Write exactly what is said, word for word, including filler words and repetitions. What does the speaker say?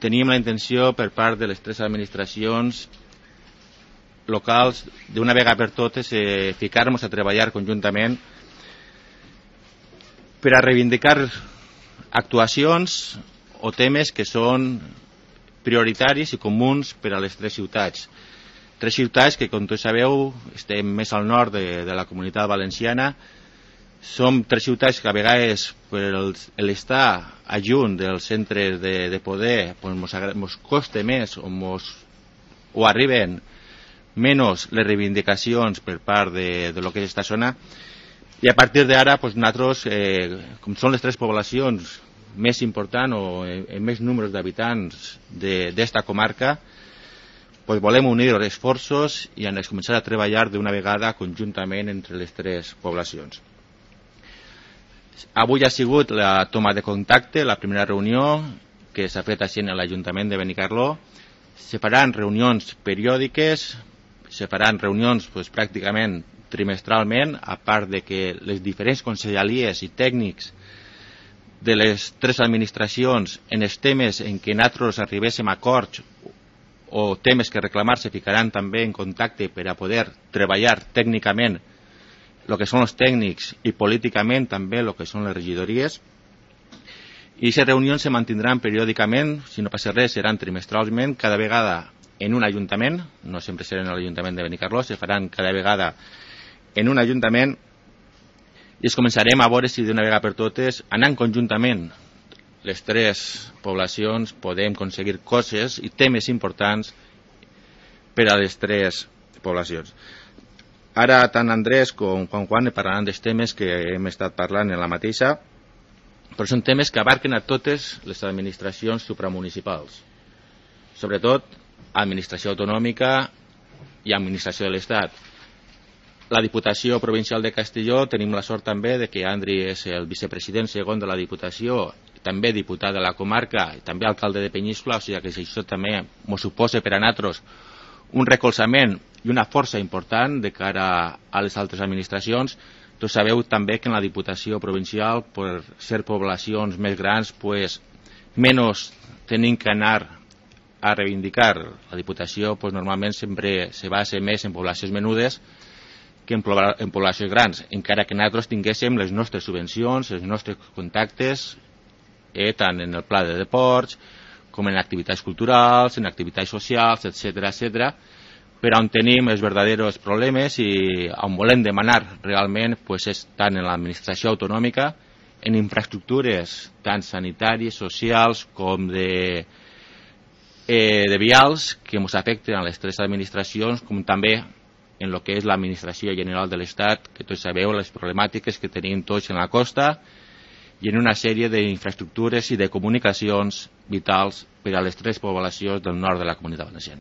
teníem la intenció per part de les tres administracions locals d'una vegada per totes eh, ficar-nos a treballar conjuntament per a reivindicar actuacions o temes que són prioritaris i comuns per a les tres ciutats. Tres ciutats que, com tots sabeu, estem més al nord de, de la Comunitat Valenciana. Som tres ciutats que a vegades per l'estar adjunt dels centres de, de poder pues, mos, mos costa més o, mos, o arriben menys les reivindicacions per part de, de lo que és esta zona, i a partir d'ara pues, nosaltres, eh, com són les tres poblacions més importants o amb més números d'habitants d'esta comarca, pues, volem unir els esforços i han de començar a treballar d'una vegada conjuntament entre les tres poblacions. Avui ha sigut la toma de contacte, la primera reunió que s'ha fet així a l'Ajuntament de Benicarló. Se faran reunions periòdiques, se faran reunions pues, pràcticament trimestralment, a part de que les diferents conselleries i tècnics de les tres administracions en els temes en què nosaltres arribéssim a acords o temes que reclamar se ficaran també en contacte per a poder treballar tècnicament el que són els tècnics i políticament també el que són les regidories. I aquestes reunions se mantindran periòdicament, si no passa res seran trimestralment, cada vegada en un ajuntament, no sempre seran en l'Ajuntament de Benicarló, se faran cada vegada en un ajuntament i es començarem a veure si d'una vegada per totes, anant conjuntament les tres poblacions, podem aconseguir coses i temes importants per a les tres poblacions. Ara tant Andrés com Juan Juan parlaran dels temes que hem estat parlant en la mateixa, però són temes que abarquen a totes les administracions supramunicipals, sobretot administració autonòmica i administració de l'Estat. La Diputació Provincial de Castelló tenim la sort també de que Andri és el vicepresident segon de la Diputació, també diputat de la comarca i també alcalde de Peníscola, o sigui que això també ens suposa per a nosaltres un recolzament i una força important de cara a les altres administracions. Tots sabeu també que en la Diputació Provincial, per ser poblacions més grans, pues, menys tenim que anar a reivindicar. La Diputació pues, normalment sempre se basa més en poblacions menudes que en, en poblacions grans, encara que nosaltres tinguéssim les nostres subvencions, els nostres contactes, eh, tant en el pla de deports, com en activitats culturals, en activitats socials, etcètera, etcètera, però on tenim els verdaders problemes i on volem demanar realment pues, és tant en l'administració autonòmica, en infraestructures tant sanitàries, socials com de, eh, de vials que ens afecten a les tres administracions, com també en el que és l'administració general de l'Estat, que tots sabeu les problemàtiques que tenim tots en la costa i en una sèrie d'infraestructures i de comunicacions vitals per a les tres poblacions del nord de la Comunitat Valenciana.